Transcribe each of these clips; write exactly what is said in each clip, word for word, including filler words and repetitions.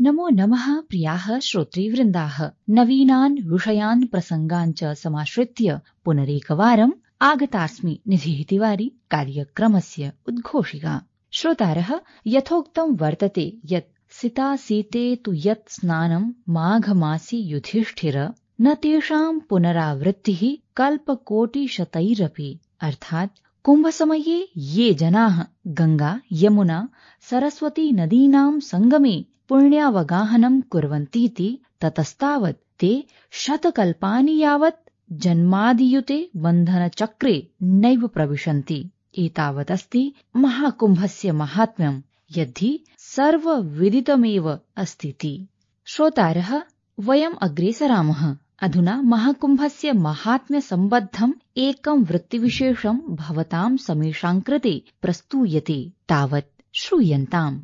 नमो नमः प्रियाः श्रोतृवृन्दाः, नवीनान् विषयान् प्रसङ्गान् च समाश्रित्य पुनरेकवारम् आगतास्मि निधिः तिवारी कार्यक्रमस्य उद्घोषिका। श्रोतारः, यथोक्तं वर्तते यत् सिता सीते तु यत् स्नानं माघमासि युधिष्ठिर न तेषां पुनरावृत्तिः कल्पकोटिशतैरपि। अर्थात् कुम्भसमये ये जनाः गंगा यमुना सरस्वती नदीनां संगमे पुण्यावगाहनं कुर्वन्तीति ततस्तावत् ते शतकल्पानि यावत् जन्मादियुते बन्धनचक्रे नैव प्रविशन्ति। एतावदस्ति महाकुम्भस्य माहात्म्यं, यद्धि सर्वविदितमेव अस्तीति। श्रोतारः, वयम् अग्रे सरामः। अधुना महाकुम्भस्य माहात्म्यसम्बद्धम् एकं वृत्तिविशेषं भवतां समेषां कृते प्रस्तूयते, तावत् श्रूयन्ताम्।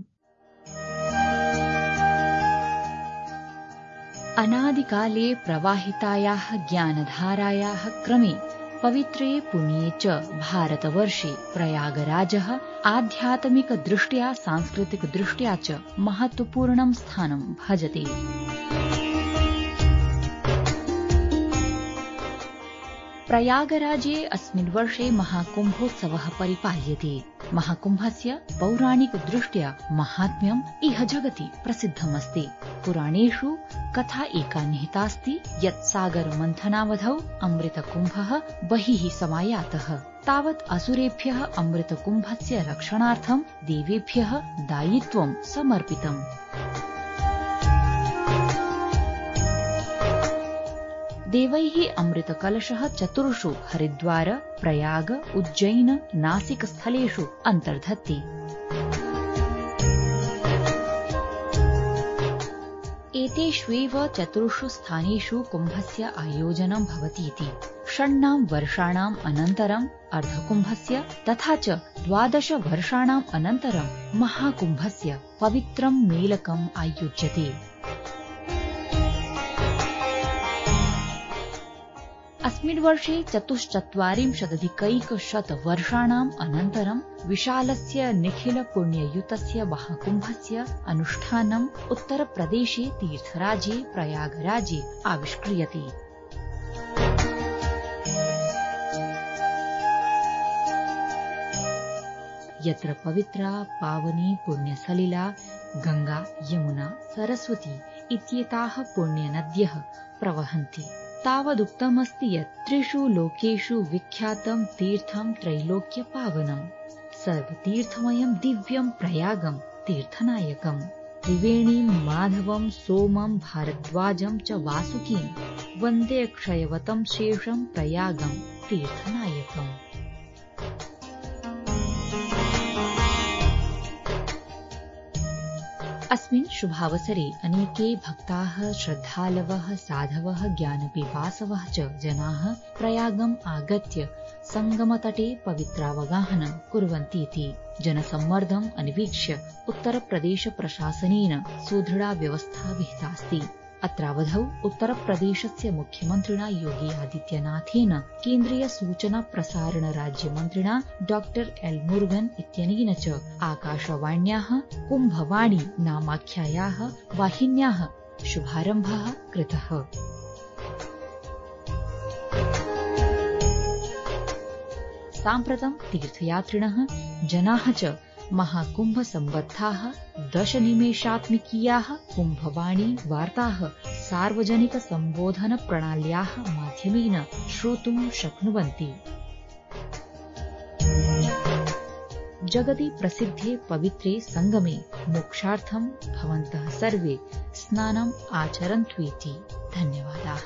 अनादिकाले प्रवाहितायाः ज्ञानधारायाः क्रमे पवित्रे पुण्ये च भारतवर्षे प्रयागराजः आध्यात्मिकदृष्ट्या सांस्कृतिकदृष्ट्या च महत्वपूर्णं स्थानं भजते। प्रयागराजे अस्मिन् वर्षे महाकुम्भोत्सवः परिपाल्यते। महाकुम्भस्य पौराणिकदृष्ट्या माहात्म्यम् इह जगति प्रसिद्धमस्ति। पुराणेषु कथा एका निहितास्ति यत् सागरमन्थनावधौ अमृतकुम्भः बहिः समायातः। तावत् असुरेभ्यः अमृतकुम्भस्य रक्षणार्थं देवेभ्यः दायित्वं समर्पितम्। देवैः अमृतकलशः चतुर्षु हरिद्वार, प्रयाग, उज्जैन, नासिक स्थलेषु अन्तर्धत्ते। एतेष्वेव चतुर्षु स्थानेषु कुम्भस्य आयोजनं भवतीति। षण्णां वर्षाणाम् अनन्तरम् अर्धकुम्भस्य तथा च द्वादश वर्षाणाम् अनन्तरं महाकुम्भस्य पवित्रं मेलकम् आयोज्यते। अस्मिन् वर्षे चतुश्चत्वारिंशदधिकैकशत वर्षाणाम् अनन्तरं विशालस्य निखिल पुण्ययुतस्य महाकुम्भस्य अनुष्ठानम् उत्तरप्रदेशे तीर्थराजे प्रयागराजे आविष्क्रियते। यत्र पवित्रा पावनी पुण्यसलिला गंगा यमुना सरस्वती इत्येताः पुण्यनद्यः प्रवहन्ति। तावदुक्तमस्ति यत् त्रिषु लोकेषु विख्यातं तीर्थं त्रैलोक्यपावनं सर्वतीर्थमयं दिव्यं प्रयागं तीर्थनायकं त्रिवेणीं माधवं सोमं भारद्वाजं च वासुकीं वन्दे क्षयवतं शेषं प्रयागं तीर्थनायकम्। अस्मिन् शुभावसरे अनेके भक्ताः श्रद्धालवः साधवः ज्ञानपिपासवः च जनाः प्रयागम् आगत्य संगमतटे पवित्रावगाहनं कुर्वन्तीति। जनसम्मर्दम् अन्वीक्ष्य उत्तरप्रदेश प्रशासनेन सुदृढा व्यवस्था विहितास्ति। अत्रावधौ उत्तरप्रदेशस्य मुख्यमन्त्रिणा योगी आदित्यनाथेन केन्द्रीय सूचना प्रसारण राज्यमन्त्रिणा डॉक्टर एल मुरुगन इत्यनेन च आकाशवाण्याः कुम्भवाणी नामाख्यायाः वाहिन्याः शुभारम्भः कृतः। साम्प्रतं तीर्थयात्रिणः जनाः च महाकुम्भ सम्बद्धाः दशनिमेषात्मिकीयाः कुम्भवाणी वार्ताः सार्वजनिक सम्बोधन प्रणाल्याः माध्यमेन श्रोतुं शक्नुवन्ति। जगति प्रसिद्धे पवित्रे संगमे मोक्षार्थं भवन्तः सर्वे स्नानम् आचरन्तु। धन्यवादाः।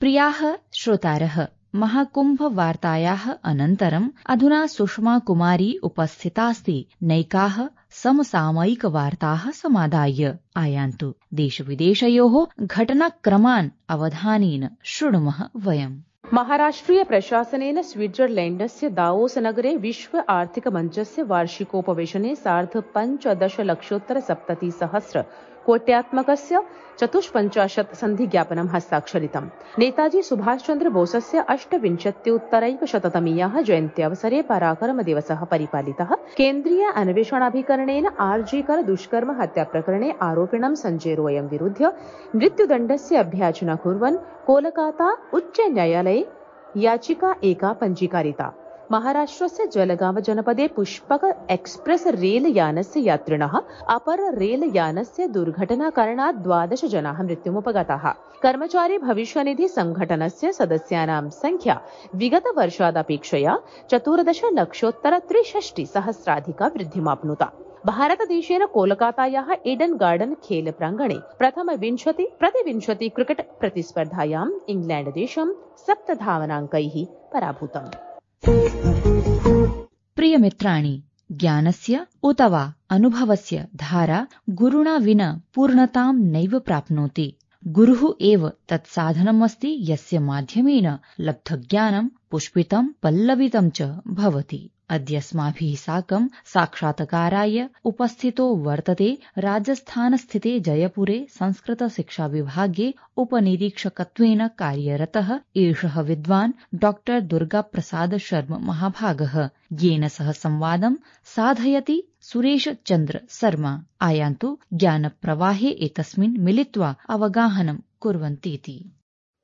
प्रियाः श्रोतारः, महाकुम्भवार्तायाः अनन्तरम् अधुना सुषमा कुमारी उपस्थितास्ति नैकाः समसामयिकवार्ताः समादाय। आयान्तु देशविदेशयोः घटनाक्रमान् अवधानेन शृणुमः वयम्। महाराष्ट्रीय प्रशासनेन स्विट्जरलैण्डस्य दावोस नगरे विश्व आर्थिक मञ्चस्य वार्षिकोपवेशने सार्ध पञ्चदश लक्षोत्तर सप्ततिसहस्र कोट्यात्मकस्य चतुष्पञ्चाशत् सन्धिज्ञापनं हस्ताक्षरितम्। नेताजी सुभाषचन्द्र बोसस्य अष्टविंशत्युत्तरैकशततमीयाः जयन्त्यावसरे पराक्रमदिवसः परिपालितः। केन्द्रीय अन्वेषणाभिकरणेन आर्जीकर दुष्कर्म हत्याप्रकरणे आरोपिणं सञ्जय रॉयं विरुध्य मृत्युदण्डस्य अभ्याचना कुर्वन् कोलकाता उच्चन्यायालये याचिका एका पञ्जीकारिता। महाराष्ट्रस्य जलगांव जनपदे पुष्पक एक्सप्रेस रेलयानस्य यात्रिणः अपर रेलयानस्य दुर्घटनाकारणात् द्वादश जनाः मृत्युमुपगताः। कर्मचारी भविष्यनिधि संघटनस्य सदस्यानां संख्या विगतवर्षादपेक्षया चतुर्दश लक्षोत्तर त्रिषष्टि सहस्राधिका वृद्धिमाप्नुता। भारतदेशेन कोलकातायाः एडन गार्डन खेल प्राङ्गणे प्रथमविंशति प्रतिविंशति क्रिकेट प्रतिस्पर्धायाम् इंग्लैण्डदेशं सप्तधावनाङ्कैः पराभूतम्। प्रियमित्राणि, ज्ञानस्य उत वा अनुभवस्य धारा गुरुणा विना पूर्णतां नैव प्राप्नोति। गुरुः एव तत्साधनमस्ति यस्य माध्यमेन लब्धज्ञानं पुष्पितं पल्लवितं च भवति। अद्यस्माभिः साकं साक्षात्काराय उपस्थितो वर्तते राजस्थानस्थिते जयपुरे संस्कृत शिक्षा विभागे उपनिरीक्षकत्वेन कार्यरतः एषः विद्वान् डॉक्टर दुर्गाप्रसाद शर्मा महाभागः, येन सह संवादं साधयति सुरेश चन्द्र शर्मा। आयान्तु ज्ञानप्रवाहे एतस्मिन् मिलित्वा अवगाहनं कुर्वन्तीति।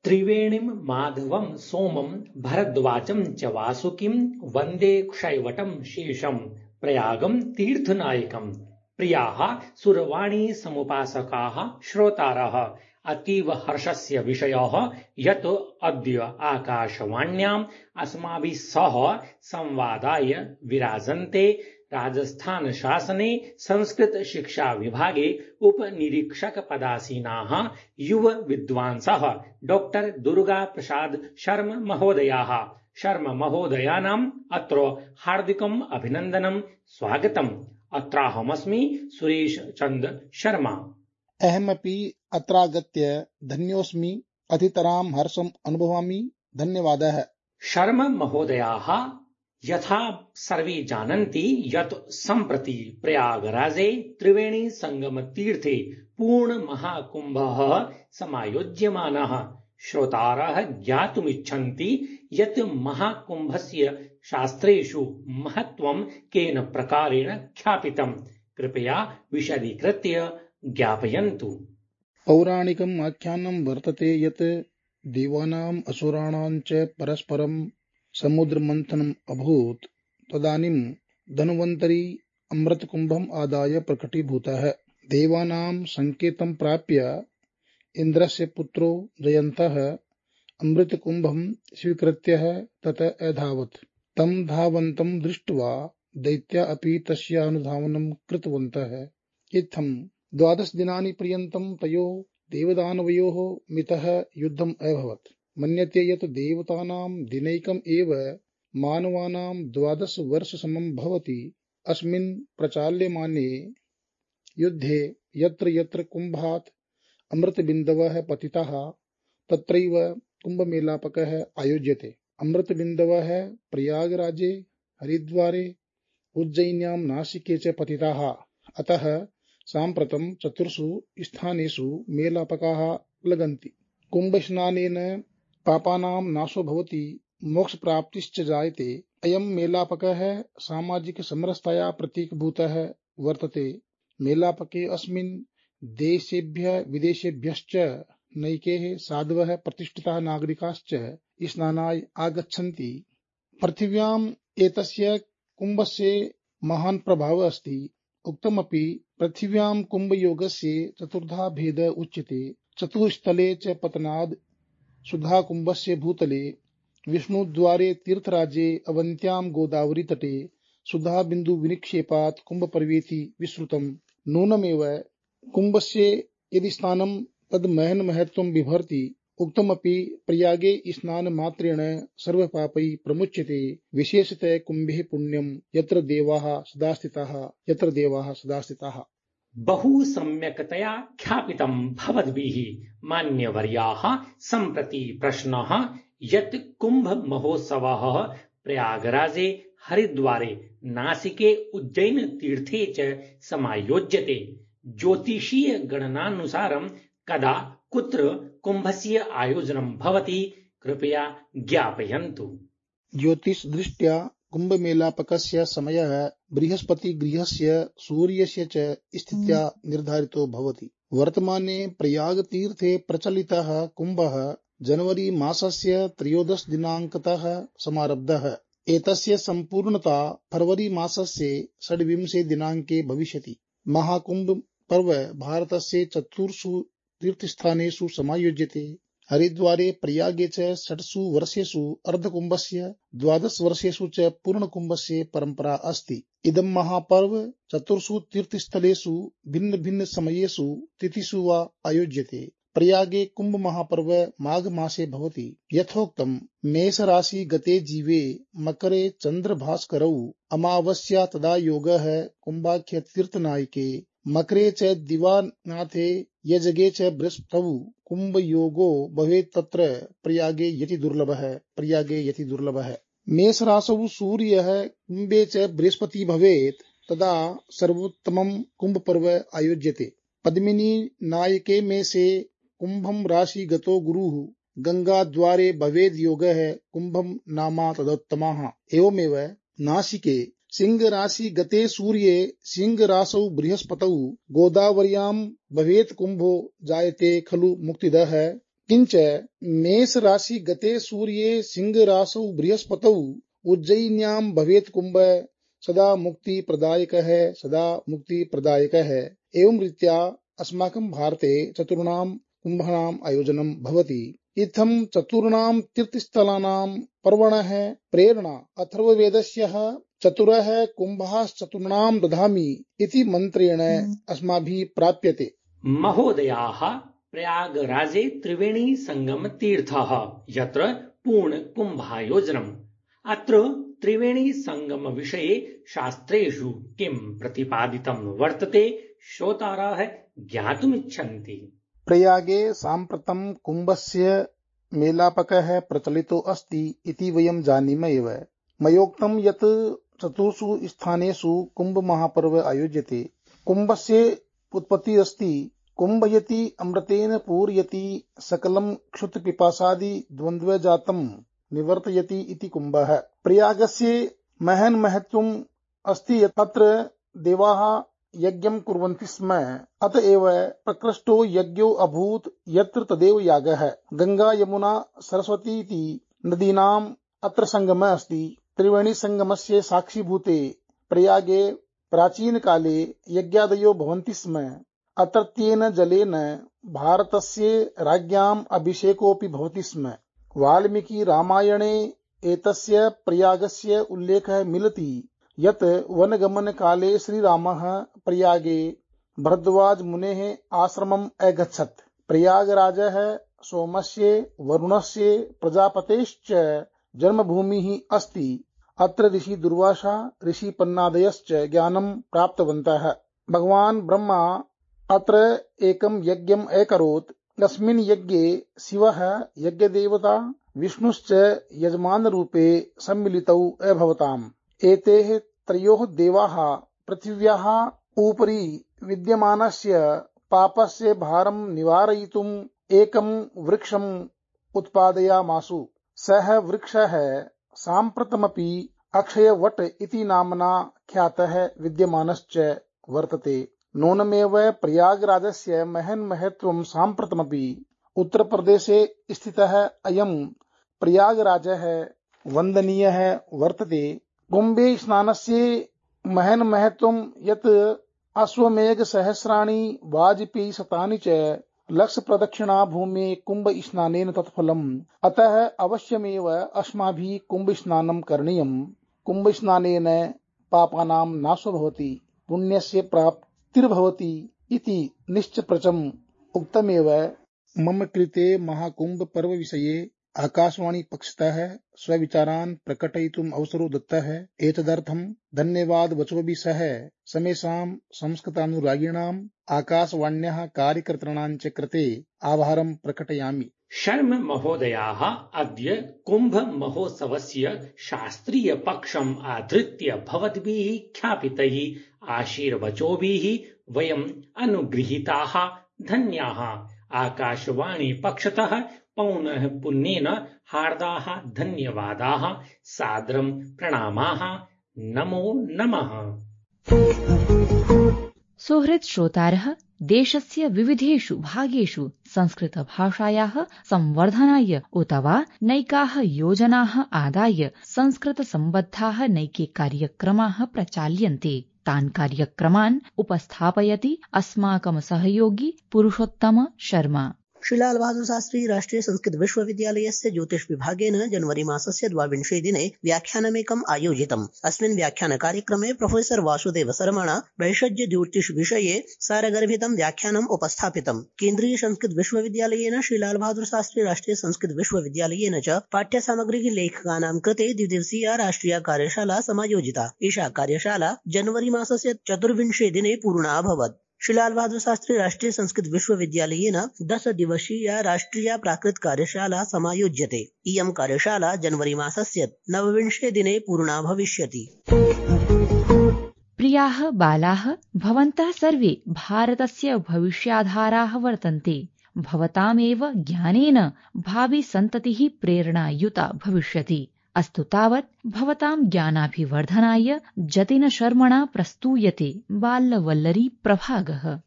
त्रिवेणीं माधवं सोमं भरद्वाजं च वासुकिं वन्दे क्षैवटं शेषं प्रयागं तीर्थनायकम्। प्रियाः सुरवाणी समुपासकाः श्रोतारः, अतीव हर्षस्य विषयः यत् अद्य आकाशवाण्याम् अस्माभिः सह संवादाय विराजन्ते राजस्थान शासने संस्कृत शिक्षा विभागे उपनिरीक्षक पदासीनाः युव विद्वांसः डॉक्टर दुर्गा प्रसाद शर्मा महोदयाः। शर्मा महोदयानाम् अत्र हार्दिकम् अभिनन्दनं स्वागतम्। अत्राहमस्मि सुरेश चन्द्र शर्मा। अहमपि अत्रागत्य धन्योऽस्मि, अतितरां हर्षम् अनुभवामि। धन्यवादः। शर्मा महोदयाः, यथा सर्वे जानन्ति यत् सम्प्रति प्रयागराजे त्रिवेणी संगम तीर्थे पूर्ण महाकुम्भः समायोज्यमानः। श्रोतारः ज्ञातुमिच्छन्ति यत् महाकुम्भस्य शास्त्रेषु महत्त्वं केन प्रकारेण ख्यापितम्। कृपया विशदीकृत्य ज्ञापयन्तु। पौराणिकम् आख्यानं वर्तते यत् देवानाम् असुराणां च परस्परं समुद्रमन्थनम् अभूत्। तदानीं धन्वन्तरी अमृतकुम्भम् आदाय प्रकटीभूतः। देवानां संकेतं प्राप्य इन्द्रस्य पुत्रो जयन्तः अमृतकुम्भं स्वीकृत्य ततः अधावत्। तं धावन्तं दृष्ट्वा दैत्या अपि तस्य अनुधावनं कृतवन्तः। इत्थं द्वादश दिनानि पर्यन्तं तयोः देवदानवयोः मितः युद्धम् अभवत्। मन्यते यत् देवतानां दिनैकम् एव मानवानां द्वादश वर्षसमं भवति। अस्मिन् प्रचाल्यमाने युद्धे यत्र यत्र कुम्भात् अमृतबिन्दवः पतिताः तत्रैव कुम्भमेलापकः आयोज्यते। अमृतबिन्दवः प्रयागराजे, हरिद्वारे, उज्जयिन्यां, नासिके च पतिताः। अतः साम्प्रतं चतुर्षु स्थानेषु मेलापकाः लगन्ति। कुम्भस्नानेन पापानां नाशो भवति, मोक्षप्राप्तिश्च जायते। अयं मेलापकः सामाजिकसमरसताया प्रतीकभूतः वर्तते। मेलापके अस्मिन् देशेभ्यः विदेशेभ्यश्च नैके साधवः प्रतिष्ठिताः नागरिकाश्च स्नानाय आगच्छन्ति। पृथिव्याम् एतस्य कुम्भस्य महान् प्रभावः अस्ति। उक्तमपि पृथिव्यां कुम्भयोगस्य चतुर्धा भेदः उच्यते। चतुस्थले च पतनाद् सुधा कुम्भस्य भूतले, विष्णुद्वारे तीर्थराजे, अवन्त्यां गोदावरी तटे, सुधा बिन्दु विनिक्षेपात् कुम्भपर्वेति विश्रुतम्। नूनमेव कुम्भस्य यदि स्नानं तद् महन् महत्त्वं बिभर्ति। उक्तमपि प्रयागे स्नानमात्रेण सर्वपापैः प्रमुच्यते। विशेषतः कुम्भे पुण्यं यत्र देवाः सदा स्थिताः यत्र देवाः सदा स्थिताः। बहु सम्यक्तया ख्यापितं भवद्भिः। मान्यवर्याः, सम्प्रति प्रश्नः यत् कुम्भ महोत्सवः प्रयागराजे, हरिद्वारे, नासिके, उज्जैन तीर्थे च समायोज्यते। ज्योतिषीय गणनानुसारं कदा कुत्र कुम्भस्य आयोजनं भवति कृपया ज्ञापयन्तु। ज्योतिषदृष्ट्या कुम्भमेलापकस्य समयः बृहस्पतिगृहस्य सूर्यस्य च स्थित्या निर्धारितो भवति। वर्तमाने प्रयागतीर्थे प्रचलितः कुम्भः जनवरी मासस्य त्रयोदश दिनाङ्कतः समारब्धः। एतस्य सम्पूर्णता फरवरी मासस्य षड्विंशे दिनाङ्के भविष्यति। महाकुम्भ पर्व भारतस्य चतुर्षु तीर्थस्थानेषु समायोज्यते। हरिद्वारे प्रयागे च षट्सु वर्षेषु अर्धकुम्भस्य द्वादश वर्षेषु च पूर्णकुम्भस्य परम्परा अस्ति। इदं महापर्व चतुर्षु तीर्थस्थलेषु भिन्न भिन्न समयेषु तिथिषु वा आयोज्यते। प्रयागे कुम्भ महापर्व माघ मासे भवति। यथोक्तं मेष राशि गते जीवे मकरे चन्द्रभास्करौ अमावास्या तदा योगः कुम्भाख्य तीर्थनायके मकरे च दिवानाथे यजगे च बृहस्पतौ कुम्भ योगो भवेत् तत्र प्रयागे यति दुर्लभः प्रयागे यति दुर्लभः। मेष राशौ सूर्यः कुम्भे च बृहस्पति भवेत् तदा सर्वोत्तमं कुम्भ पर्व आयोज्यते। पद्मिनी नायके मेषे कुम्भं राशि गतो गुरुः गंगाद्वारे भवेद् योगः कुम्भं नामा तदोत्तमः। एवमेव नासिके सिंह राशि गते सूर्ये सिंह राशौ बृहस्पतौ गोदावर्यां भवेत् कुम्भो जायते खलु मुक्तिदः। किंच मेष राशि गते सूर्ये सिंह राशौ बृहस्पतौ उज्जयिन्यां भवेत् कुम्भ सदा मुक्ति प्रदायकः सदा मुक्ति प्रदायकः। एवं रीत्या अस्माकं भारते चतुर्णां कुम्भानाम् आयोजनं भवति। इत्थं चतुर्णां तीर्थस्थलानां पर्वणः प्रेरणा अथर्ववेदस्य चतुरः कुम्भाश्चतुर्णां दधामि इति मन्त्रेण अस्माभिः प्राप्यते। महोदयाः, प्रयागराजे त्रिवेणी संगम तीर्थः यत्र पूर्ण कुम्भायोजनम्। अत्र त्रिवेणी संगम विषये शास्त्रेषु किं प्रतिपादितं वर्तते श्रोतारः ज्ञातुमिच्छन्ति। प्रयागे साम्प्रतं कुम्भस्य मेलापकः प्रचलितो अस्ति इति वयं जानीम एव। मयोक्तं यत् चतुर्षु स्थानेषु कुम्भ महापर्व आयोज्यते। कुम्भस्य उत्पत्ति अस्ति कुम्भयति अमृतेन पूरयति सकलं क्षुत्पिपासादि द्वन्द्वजातं निवर्तयति इति कुम्भः। प्रयागस्य महन् महत्वम् अस्ति तत्र देवाः यज्ञं कुर्वन्ति स्म। अत एव प्रकृष्टो यज्ञो अभूत् यत्र तदेव यागः। गंगा यमुना सरस्वती इति नदीनाम् अत्र संगमः अस्ति। त्रिवेणी संगमस्य साक्षीभूते प्रयागे प्राचीन काले यज्ञादयो भवन्ति स्म। अत्रत्येन जलेन भारतस्य राज्ञाम् अभिषेकोऽपि भवति स्म। वाल्मीकि रामायणे एतस्य प्रयागस्य उल्लेखः मिलति यत् वनगमन काले श्रीरामः प्रयागे भरद्वाज मुनेः आश्रमम् अगच्छत्। प्रयागराजः सोमस्य वरुणस्य प्रजापतेश्च जन्मभूमिः अस्ति। अत्र ऋषि दुर्वासा ऋषि पन्नादयश्च ज्ञानं प्राप्तवन्तः। भगवान् ब्रह्मा अत्र एकं यज्ञम् अकरोत्। तस्मिन् यज्ञे शिवः यज्ञदेवता विष्णुश्च यजमानरूपे सम्मिलितौ अभवताम्। एतेः त्रयोः देवाः पृथिव्याः उपरि विद्यमानस्य पापस्य भारं निवारयितुम् एकं वृक्षम् उत्पादयामासु। सः वृक्षः साम्प्रतमपि अक्षयवट इति नाम्ना ख्यातः विद्यमानश्च वर्तते। नूनमेव प्रयागराजस्य महन् महत्वं साम्प्रतमपि उत्तरप्रदेशे स्थितः अयं प्रयागराजः वन्दनीयः वर्तते। कुम्भे स्नानस्य महन् महत्वं यत् अश्वमेघ सहस्राणि वाजपेयी शतानि च लक्ष प्रदक्षिणा भूमे कुम्भ स्नानेन तत्फलम्। अतः अवश्यमेव अस्माभिः कुम्भ स्नानं करणीयम्। कुम्भ स्नानेन पापानां नाशो भवति पुण्यस्य प्राप्तिर्भवति इति निश्चप्रचम् उक्तमेव। मम कृते महाकुम्भ पर्व विषये आकाशवाणी पक्षतः स्वविचारान् प्रकटयितुम् अवसरो दत्तः। एतदर्थं धन्यवाद वचोभिः सह समेषां संस्कृतानुरागिणाम् आकाशवाण्याः कार्यकर्तॄणां च कृते आभारं प्रकटयामि। शर्म महोदयाः, अद्य कुम्भ महोत्सवस्य शास्त्रीय पक्षम् आधृत्य भवद्भिः ख्यापितैः आशीर्वचोभिः वयम् अनुगृहीताः धन्याः। आकाशवाणी पक्षतः पौनः पुन्येन हार्दाः धन्यवादाः, सादरं प्रणामाः, नमो नमः। सुहृत् श्रोतारः, देशस्य विविधेषु भागेषु संस्कृतभाषायाः संवर्धनाय उत वा नैकाः योजनाः आदाय संस्कृतसम्बद्धाः नैके कार्यक्रमाः प्रचाल्यन्ते। तान् कार्यक्रमान् उपस्थापयति अस्माकं सहयोगी पुरुषोत्तम शर्मा। श्रीलाल बहादुर शास्त्री राष्ट्रिय संस्कृत विश्वविद्यालयस्य ज्योतिष विभागेन जनवरी मासस्य द्वाविंशे दिने व्याख्यानमेकम् आयोजितम्। अस्मिन् व्याख्यानकार्यक्रमे प्रोफेसर वासुदेव शर्मणा वैषज्य ज्योतिष विषये सारगर्भितं व्याख्यानम् उपस्थापितम्। केन्द्रीय संस्कृत विश्वविद्यालयेन श्रीलाल बहादुर शास्त्री राष्ट्रिय संस्कृत विश्वविद्यालयेन च पाठ्यसामग्री लेखकानां कृते द्विदिवसीया राष्ट्रिय कार्यशाला समायोजिता। एषा कार्यशाला जनवरी मासस्य चतुर्विंशे दिने पूर्णा अभवत्। श्रीलाल बहादुर शास्त्री राष्ट्रिय संस्कृत विश्वविद्यालयेन दश दिवसीया राष्ट्रिय प्राकृत कार्यशाला समायोज्यते। इयं कार्यशाला जनवरी मासस्य नवविंशे दिने पूर्णा भविष्यति। प्रियाः बालाः, भवन्तः सर्वे भारतस्य भविष्याधाराः वर्तन्ते। भवतामेव ज्ञानेन भावि सन्ततिः प्रेरणायुता भविष्यति। अस्तु तावत् भवतां ज्ञानाभिवर्धनाय जतिन शर्मणा प्रस्तूयते बाल्यवल्लरी प्रभागः।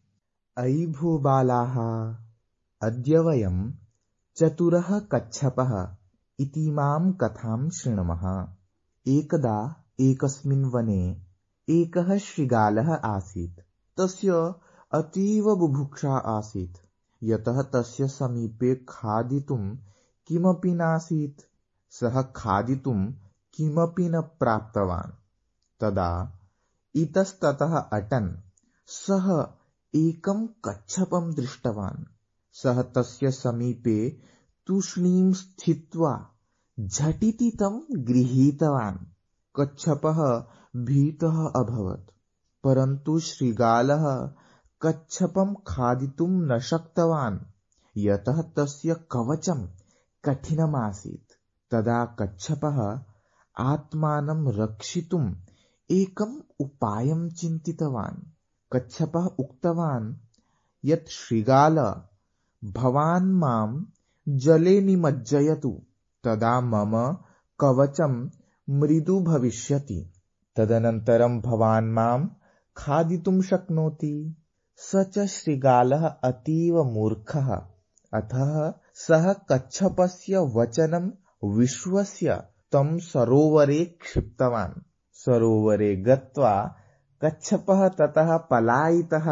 अयि भूबालाः, अद्य वयं चतुरः कच्छपः इतीमां कथां शृणुमः। एकदा एकस्मिन् वने एकः शृगालः आसीत्। तस्य अतीव बुभुक्षा आसीत्, यतः तस्य समीपे खादितुं किमपि नासीत्। सः खादितुं किमपि न प्राप्तवान्। तदा इतस्ततः अटन् सः एकं कच्छपं दृष्टवान्। सः तस्य समीपे तूष्णीं स्थित्वा झटिति तं गृहीतवान्। कच्छपः भीतः अभवत्, परन्तु शृगालः कच्छपं खादितुं न शक्तवान्, यतः तस्य कवचं कठिनमासीत्। तदा कच्छपः आत्मानं रक्षितुम् एकम् उपायं चिन्तितवान्। कच्छपः उक्तवान् यत् शृगाल, भवान् मां जले निमज्जयतु, तदा मम कवचं मृदु भविष्यति। तदनन्तरं भवान् मां खादितुं शक्नोति। स च शृगालः अतीव मूर्खः, अतः सः कच्छपस्य वचनं विश्वस्य तं सरोवरे क्षिप्तवान्। सरोवरे गत्वा कच्छपः ततः पलायितः।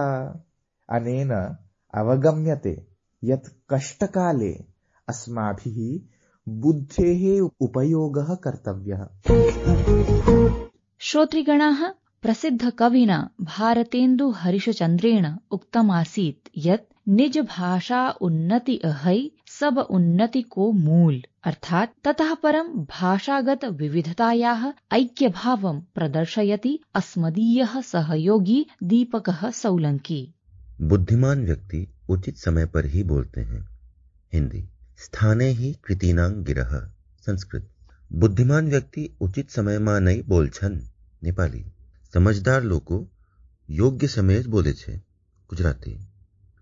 अनेन अवगम्यते यत् कष्टकाले अस्माभिः बुद्धेः उपयोगः कर्तव्यः। श्रोतृगणाः, प्रसिद्धकविना भारतेन्दु हरिशचन्द्रेण उक्तमासीत् यत् निज भाषा उन्नति अहै सब उन्नति को मूल, अर्थात ततः परं भाषागत विविधतायाः ऐक्यभावं प्रदर्शयति अस्मदीयः सहयोगी दीपकः सौलंकी। बुद्धिमान व्यक्ति उचित समय पर ही बोलते हैं। हिंदी। स्थाने ही कृतीनां गिरः। संस्कृत। बुद्धिमान व्यक्ति उचित समय માં નહીં બોલછન। नेपाली। समझदार લોકો યોગ્ય સમયે જ બોલે છે। गुजराती।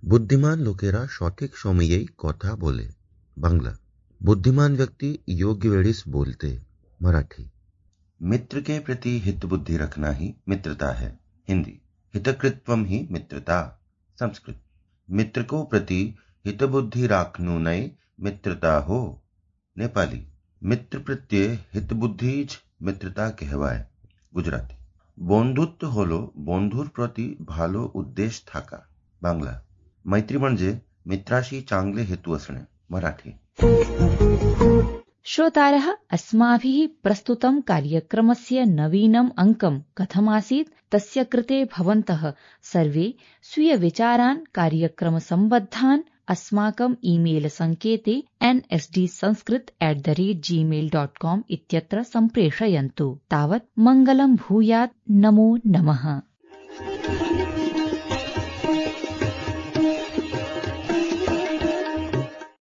बुद्धिमान लोकेरा सঠিक সময়েই কথা बोले। बांग्ला। बुद्धिमान व्यक्ति योग्य वेळीस बोलते। मराठी। मित्र के प्रति हित बुद्धि रखना ही मित्रता है। हिंदी। हितकृत्वम ही मित्रता। संस्कृत। मित्र को प्रति हित बुद्धि राखनु नहीं मित्रता हो। नेपाली। मित्र प्रत्ये हित बुद्धि ज मित्रता कहवाय। गुजराती। बंधुत्व होलो बंधुर प्रति भालो उद्देश थाका। बांग्ला। मैत्री म्हणजे मित्राशी चांगले हेतू असणे। मराठी। श्रोतारः, अस्माभिः प्रस्तुतं कार्यक्रमस्य नवीनम् अङ्कं कथमासीत् तस्य कृते भवन्तः सर्वे स्वीयविचारान् कार्यक्रमसम्बद्धान् अस्माकम् ईमेल सङ्केते N S D Sanskrit at the rate Gmail dot com इत्यत्र सम्प्रेषयन्तु। तावत् मङ्गलं भूयात्। नमो नमः।